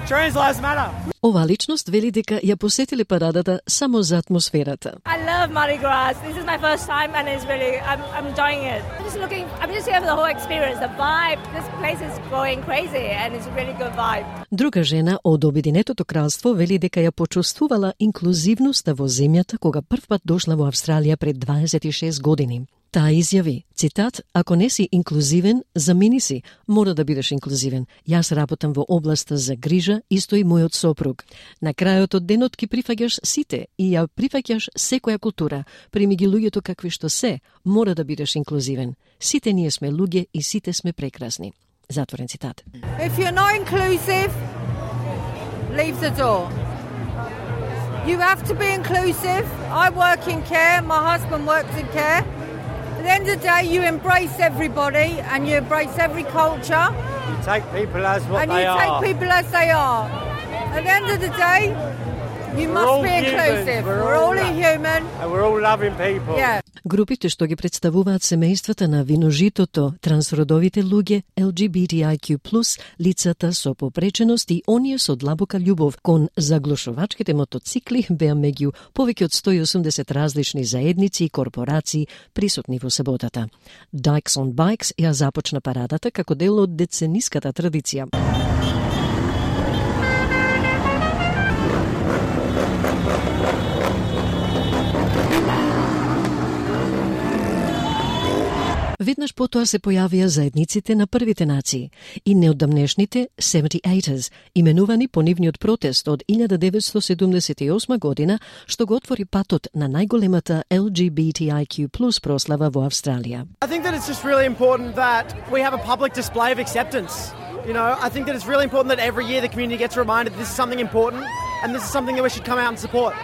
Trans lives matter. Ова личност вели дека ја посетиле парадата само за атмосферата. I love Mardi Gras. This is my first time and it's really, I'm enjoying it. I'm just here for the whole experience, the vibe. This place is going crazy and it's a really good vibe. Друга жена од Обединетото кралство вели дека ја почувствувала инклузивноста во земјата кога првпат дошла во Австралија пред 26 години. Таа изјави, цитат, ако не си инклузивен, замени си, мора да бидеш инклузивен. Јас работам во областа за грижа, исто и мојот сопруг. На крајот од денот ки прифаќаш сите и ја прифаќаш секоја култура. Прими ги луѓето какви што се, мора да бидеш инклузивен. Сите ние сме луѓе и сите сме прекрасни. Затворен цитат. If you're not inclusive, leave the door. You have to be inclusive. I work in care, my husband works in care. At the end of the day, you embrace everybody and you embrace every culture. You take people as what and they are. And you take people as they are. At the end of the day, you must be inclusive. We're all human. And we're all loving people. Yeah. Групите што ги представуваат семејствата на виножитото, трансродовите луѓе, LGBTIQ+, лицата со попреченост и оние со длабока љубов кон заглушувачките мотоцикли беа меѓу повеќе од 180 различни заедници и корпорации присутни во саботата. Dykes on Bikes ја започна парадата како дел од децениската традиција. Веднаш потоа се појавија заедниците на првите нации и неодамнешните 78ers, именувани по нивниот протест од 1978 година, што го отвори патот на најголемата LGBTIQ+ прослава во Австралија. I think that it's just really important that we have a public display of acceptance. You know, I think that it's really important that every year the community gets reminded that this is something important and this is something that we should come out and support.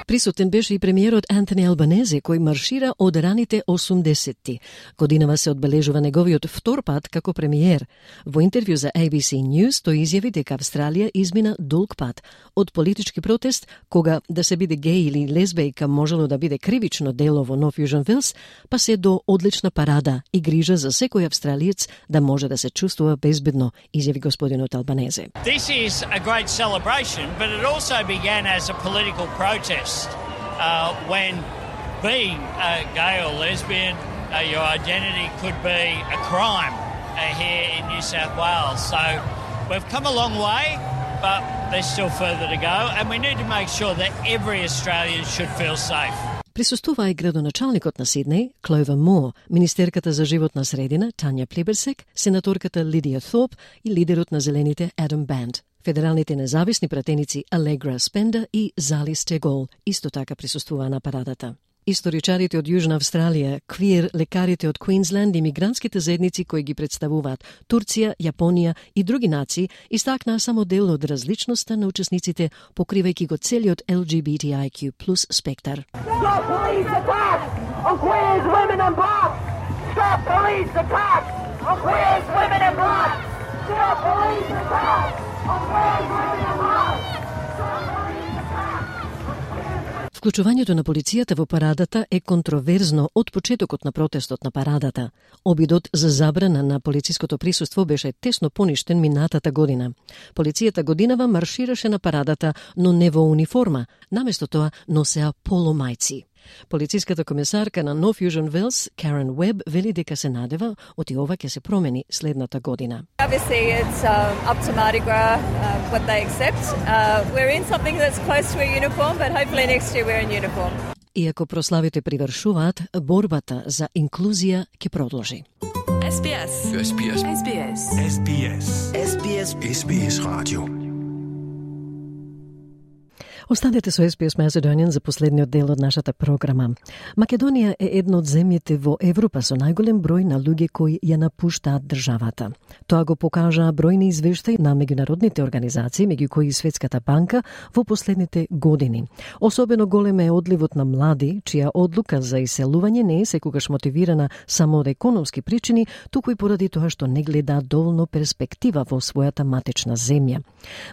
Присутен беше и премиерот Антони Албанезе, кој маршира од раните 80-ти. Годинава се одбележува неговиот втор пат како премиер. Во интервју за ABC News тој изјави дека Австралија измина долг пат од политички протест, кога да се биде геј или лесбејка можело да биде кривично дело во Нов Јужен Велс, па се до одлична парада и грижа за секој австралиец да може да се чувствува безбедно, изјави господинот Албанезе. This is a great celebration, but it also began as a political protest. When being gay or lesbian, your identity could be a crime here in New South Wales. So we've come a long way, but there's still further to go, and we need to make sure that every Australian should feel safe. Присуствува и градоначалникот на Сиднеј, Кловер Мор, министерката за животна средина, Тања Плиберсек, сенаторката Лидија Thorpe и лидерот на Зелените Адам Банд. Федералните независни пратеници Алегра Спенда и Зали Стегол исто така присуствуваа на парадата. Историчарите од Јужна Австралија, квир лекарите од Квинсленд и мигрантските заедници кои ги представуваат Турција, Јапонија и други нации истакнаа само дел од различноста на учесниците, покривајќи го целиот LGBTIQ+ спектар. Stop police attacks on queers, women and blacks! Stop police attacks on queers, women and blacks! Stop police attacks on queers, women and blacks! Вклучувањето на полицијата во парадата е контроверзно од почетокот на протестот на парадата. Обидот за забрана на полициското присуство беше тесно поништен минатата година. Полицијата годинава маршираше на парадата, но не во униформа, наместо тоа носеа поломајци. Полициската комесарка на North Fusion Wales, Karen Webb, вели дека се надева оти ова ќе се промени следната година. Obviously it's up to Mardi Gras what they accept. We're in something that's close to a uniform, but hopefully next year we're in uniform. Иако прославите привршуваат, борбата за инклузија ќе продолжи. SBS. SBS. SBS. SBS. SBS. SBS Radio. Останете со SBS Macedonian за последниот дел од нашата програма. Македонија е едно од земјите во Европа со најголем број на луѓе кои ја напуштаат државата. Тоа го покажаа бројни извештаи на меѓународните организации, меѓу кои и Светската банка, во последните години. Особено голем е одливот на млади, чија одлука за иселување не е секогаш мотивирана само од економски причини, туку и поради тоа што не гледаат доволно перспектива во својата матична земја.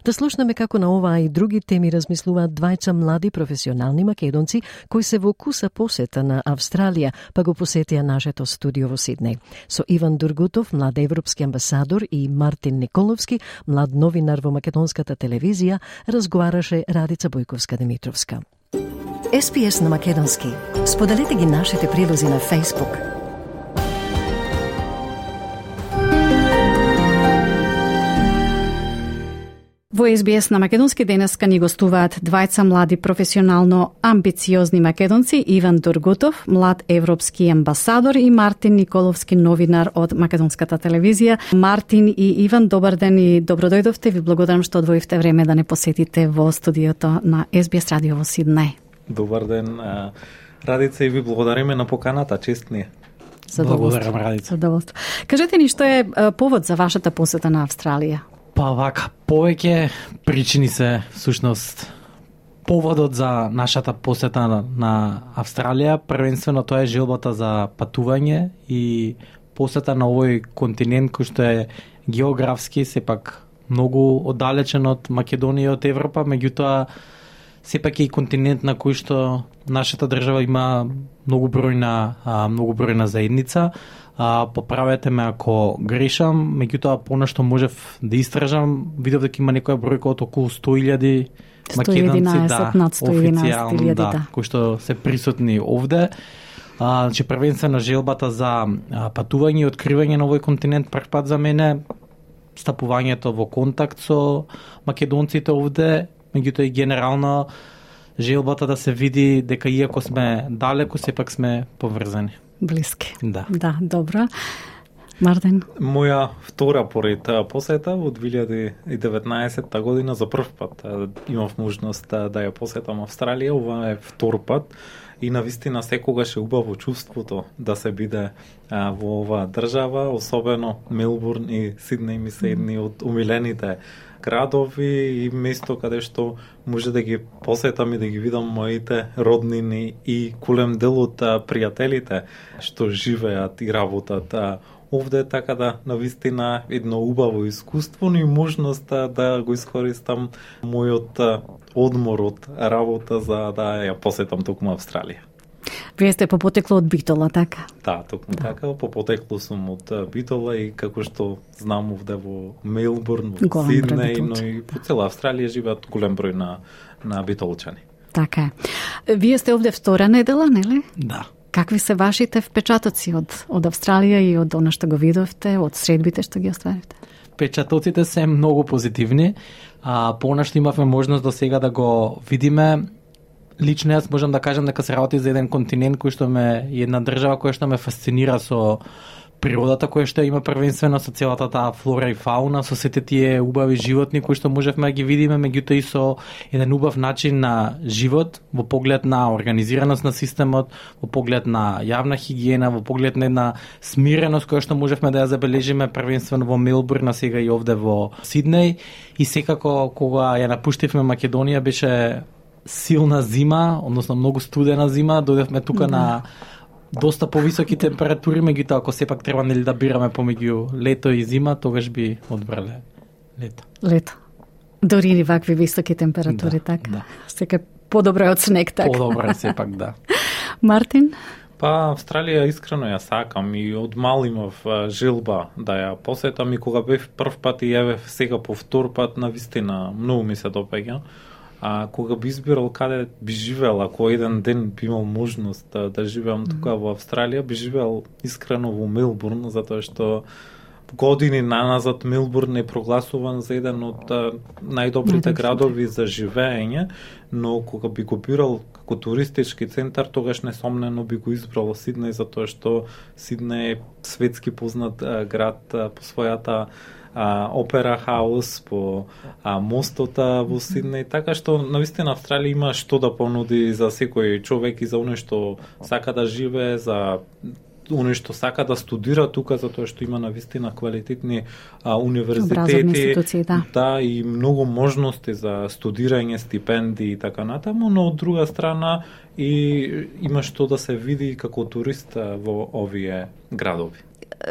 Да слушнеме како на оваа и други теми размислуваат двајца млади професионални македонци кои се во куса посета на Австралија, па го посетија нашето студио во Сиднеј. Со Иван Дургутов, млад европски амбасадор, и Мартин Николовски, млад новинар во македонската телевизија, разговараше Радица Бојковска-Димитровска. SBS на македонски. Споделете ги нашите прилози на Facebook. Во SBS на македонски денеска ни гостуваат двајца млади професионално амбициозни македонци, Иван Дургутов, млад европски амбасадор, и Мартин Николовски, новинар од македонската телевизија. Мартин и Иван, добар ден и добродојдовте. Ви благодарам што одвоивте време да не посетите во студиото на SBS радио во Сиднеј. Добар ден, Радица, и ви благодариме на поканата, чест ни е. Благодарам, Радица. Задоволство. Кажете ни што е повод за вашата посета на Австралија? Па вака, повеќе причини се всушност поводот за нашата посета на Австралија. Првенствено тоа е желбата за патување и посета на овој континент кој што е географски сепак многу оддалечен од Македонија и од Европа, меѓутоа сепак е и континент на кој што нашата држава има многу бројна заедница. Поправете ме ако грешам, меѓутоа понешто можев да истражам, видов дека има некоја бројка од околу 100.000 македонци, официјално, кои што се присутни овде. Значи првенствено желбата за патување и откривање на овој континент прв пат за мене, стапувањето во контакт со македонците овде, меѓутоа и генерално желбата да се види дека иако сме далеку, сепак сме поврзани. Блиски. Да. Да, добро. Мартин? Моја втора поред посета во 2019 година за прв пат имав можност да ја посетам Австралија. Ова е втор пат и навистина секогаш е убаво чувството да се биде во оваа држава, особено Мелбурн и Сиднеј ми се едни од умилените градови и место каде што може да ги посетам и да ги видам моите роднини и голем дел од пријателите што живеат и работат овде, така да навистина едно убаво искуство, но и можност да го искористам мојот одмор од работа за да ја посетам токму Австралија. Вие сте по потекло од Битола, така? Да, токму така, по потекло сум од Битола и како што знам овде во Мелбурн, во Сиднеј, но и по цела Австралија живеат голем број на битолчани. Така е. Вие сте овде втора недела, нели? Да. Какви се вашите впечатоци од Австралија и од она што го видовте, од средбите што ги остваривте? Впечатоците се многу позитивни. Понешто имавме можност до сега да го видиме. Лично јас можам да кажам дека се работи за еден континент кој што една држава која што ме фасцинира со природата која што има првенствено со целата таа флора и фауна, со сите тие убави животни кои што можевме да ги видиме, меѓутоа и со еден убав начин на живот во поглед на организираност на системот, во поглед на јавна хигиена, во поглед на една смиреност која што можевме да ја забележиме првенствено во Мелбурн, а сега и овде во Сиднеј. И секако кога ја напуштивме Македонија беше силна зима, односно многу студена зима, дојдевме тука на доста повисоки температури, меѓутоа ако сепак треба нели да бираме помеѓу лето и зима, тогаш би одбрале лето. Лето. Дори и вакви високи температури, да, така? Да. Сека подобро е од снег, така? Подобро е сепак, да. Мартин? Па, Австралија искрено ја сакам и од мал имав желба да ја посетам и кога бев прв пат и јавев сега по втор пат, навистина многу ми се допаѓа. А кога би избирал каде би живеел, ако еден ден би имал можност да живеам тука во Австралија, би живеел искрено во Мелбурн, затоа што години наназад Мелбурн е прогласуван за еден од најдобрите градови за живеење, но кога би го бирал како туристички центар, тогаш несомнено би го избрал Сиднеј, затоа што Сиднеј е светски познат град по својата опера хаус, по мостота во Сиднеј, така што навистина Австралија има што да понуди за секој човек и за оној што сака да живее, за оној што сака да студира тука, затоа што има навистина квалитетни универзитети, да, и многу можности за студирање, стипендии и така натаму, но од друга страна и има што да се види како турист во овие градови.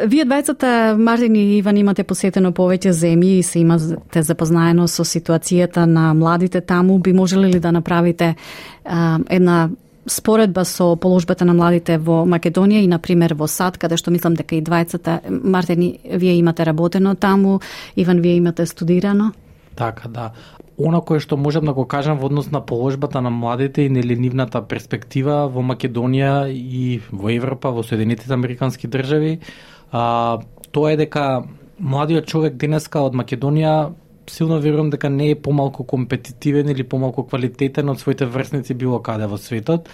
Вие двајцата, Мартин и Иван, имате посетено повеќе земји и се имате запознаено со ситуацијата на младите таму. Би можеле ли да направите една споредба со положбата на младите во Македонија и, например, во САД, каде што мислам дека и двајцата, Мартин, вие имате работено таму, Иван, вие имате студирано? Така, да. Она кое што можам да го кажам во однос на положбата на младите и нели нивната перспектива во Македонија и во Европа, во Соединетите Американски држави, тоа е дека младиот човек денеска од Македонија силно верувам дека не е помалку компетитивен или помалку квалитетен од своите врсници било каде во светот.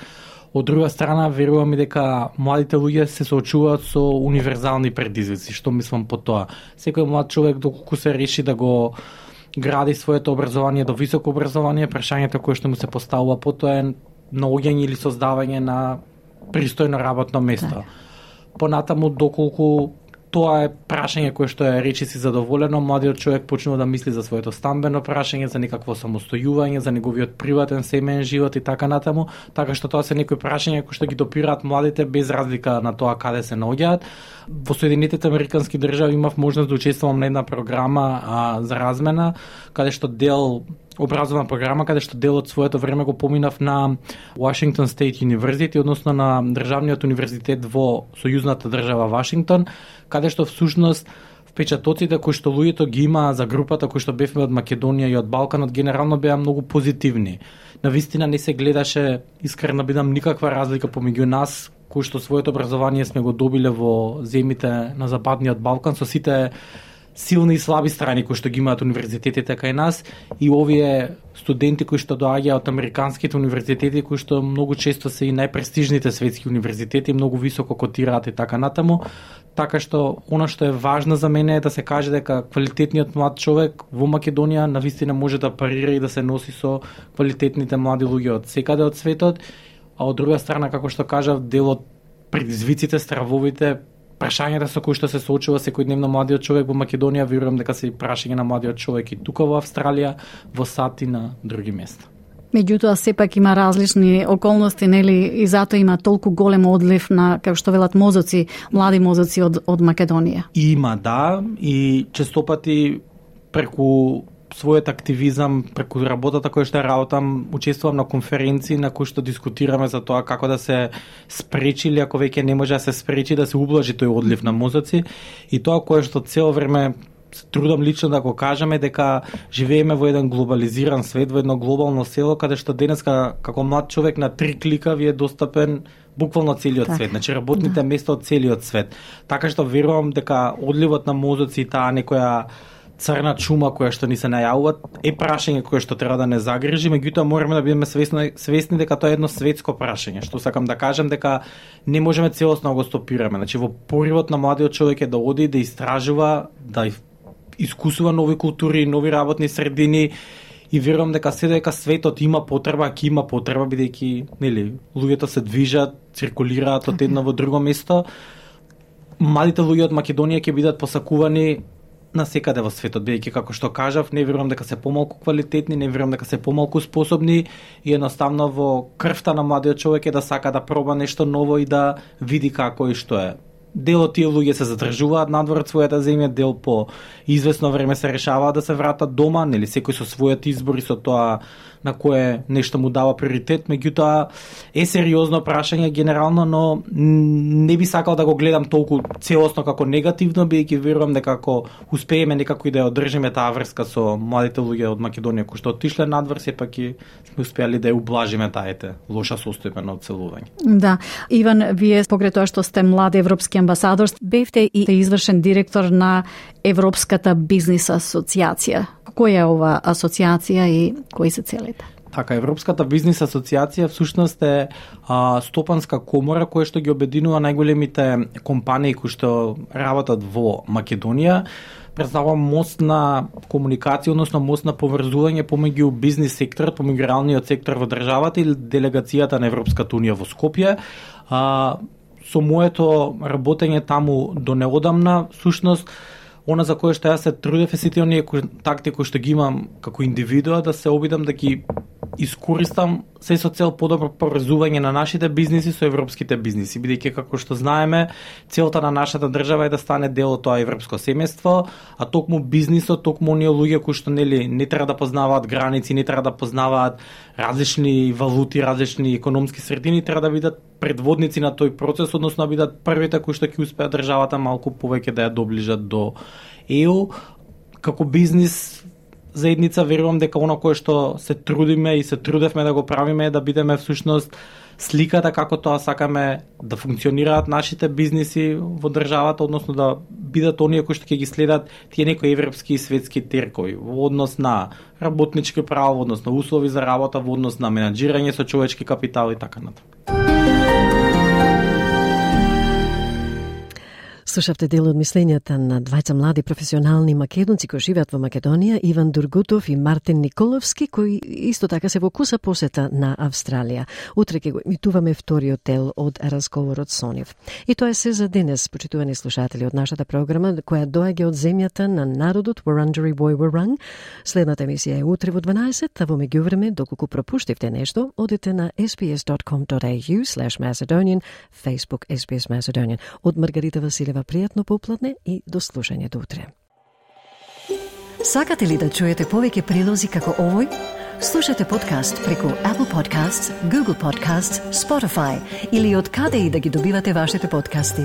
Од друга страна, верувам и дека младите луѓе се соочуваат со универзални предизвици. Што мислам по тоа? Секој млад човек, доколку се реши да го гради своето образование до високо образование, прашањето кое што му се поставува потоа е наоѓање или создавање на пристојно работно место. Понатаму, доколку тоа е прашање кое што е речиси задоволено, младиот човек почнува да мисли за своето стамбено прашање, за некакво самостојување, за неговиот приватен семеен живот и така натаму, така што тоа се некои прашања кои што ги допираат младите без разлика на тоа каде се наоѓаат. Во Соединетите Американски држави имав можност да учествувам на една програма за размена, каде што образовна програма, каде што дел од своето време го поминав на Washington State University, односно на државниот универзитет во сојузната држава Вашингтон, каде што всушност впечатоците кои што луѓето ги има за групата кои што бевме од Македонија и од Балканот генерално беа многу позитивни. Навистина не се гледаше, искрено бидам, никаква разлика помеѓу нас кои што своето образование сме го добиле во земите на Западниот Балкан со сите силни и слаби страни кои што ги имаат универзитетите кај нас и овие студенти кои што доаѓаат од американските универзитети кои што многу често се и најпрестижните светски универзитети, многу високо котираат и така натаму. Така што она што е важно за мене е да се каже дека квалитетниот млад човек во Македонија навистина може да парира и да се носи со квалитетните млади луѓе од секаде од светот, а од друга страна, како што кажав, дел од предизвиците, стравовите, прашањата со кои што се соочува секојдневно младиот човек во Македонија, верувам дека се и прашање на младиот човек и тука во Австралија, во САД и на други места. Меѓутоа, сепак има различни околности, нели, и затоа има толку голем одлив на, како што велат, мозоци, млади мозоци од Македонија. Има, да, и честопати преку својот активизам, преку работата која што работам, учествувам на конференции на кои што дискутираме за тоа како да се спречи или ако веќе не може да се спречи, да се ублажи тој одлив на мозоци. И тоа кое што цело време трудам лично да го кажеме дека живееме во еден глобализиран свет, во едно глобално село, каде што денеска како млад човек на 3 клика ви е достапен буквално целиот свет, значи работните места од целиот свет. Така што верувам дека одливот на мозоци и таа некоја црна чума која што ни се најавува, е прашање кое што треба да не загрижи, меѓутоа мораме да бидеме свесни дека тоа е едно светско прашање, што сакам да кажем дека не можеме целосно да го стопираме. Значи во поривот на младиот човек е да оди да истражува, да искусува нови култури, нови работни средини, и верувам дека дека светот има потреба, ќе има потреба, бидејќи нели луѓето се движат, циркулираат од едно во друго место. Младите луѓе од Македонија ќе бидат посакувани на секаде во светот, бидејќи како што кажав, не верувам дека се помалку квалитетни, не верувам дека се помалку способни, и едноставно во крвта на младиот човек е да сака да проба нешто ново и да види како и што е. Дел од тие луѓе се задржуваат надвор од својата земја, дел по извесно време се решаваат да се вратат дома, нели секој со својот избор и со тоа на кое нешто му дава приоритет, меѓутоа е сериозно прашање генерално, но не би сакал да го гледам толку целосно како негативно, бидејќи верувам дека ако успееме некако и да ја одржиме таа врска со младите луѓе од Македонија кои што отишле надвор, сепак и сме успеали да ја ублажиме таа лоша состојба на одселување. Да, Иван, вие покрај тоа што сте млад европски амбасадор, бевте и извршен директор на Европската бизнис асоциација. Која е ова асоциација и кои се целите? Така, Европската бизнис асоциација всушност е стопанска комора која што ги обединува најголемите компании кои што работат во Македонија. Представува мост на комуникација, односно мост на поврзување помеѓу бизнис секторот, помеѓу реалниот сектор во државата и делегацијата на Европската унија во Скопје. Со моето работење таму до неодамна, всушност, она за кое што јас се трудев е сите оние контакти кои што ги имам како индивидуа, да се обидам да ги искористам се со цел подобро поврзување на нашите бизниси со европските бизниси, бидејќи како што знаеме, целта на нашата држава е да стане дел од тоа европско семејство, а токму бизнисот, токму оние луѓе кои што не треба да познаваат граници, не треба да познаваат различни валути, различни економски средини, треба да бидат предводници на тој процес, односно да бидат првите кои што ќе успеат државата малку повеќе да ја доближат до ЕУ. Како бизнис заедница верувам дека оно кое што се трудиме и се трудевме да го правиме е да бидеме всушност сликата како тоа сакаме да функционираат нашите бизниси во државата, односно да бидат оние кои што ќе ги следат тие некои европски и светски теркови во однос на работнички права, во однос на услови за работа, во однос на менаџирање со човечки капитал и така натаму. Слушавте дел од мислењата на двајца млади професионални македонци кои живеат во Македонија, Иван Дургутов и Мартин Николовски, кои исто така се во куса посета на Австралија. Утре ќе го емитуваме вториот дел од разговорот со нив. И тоа е се за денес, почитувани слушатели, од нашата програма која доаѓа од земјата на народот Wurundjeri Woi Wurrung. Следната емисија е утре во 12, а во меѓувреме, доколку пропуштивте нешто, одете на sbs.com.au/Macedonian, Facebook SBS Macedonian. Од Маргарита Василева, пријатно попладне и до слушање до утре. Сакате ли да чуете повеќе прилози како овој? Слушате подкаст преку Apple Podcasts, Google Podcasts, Spotify или од каде и да ги добивате вашите подкасти.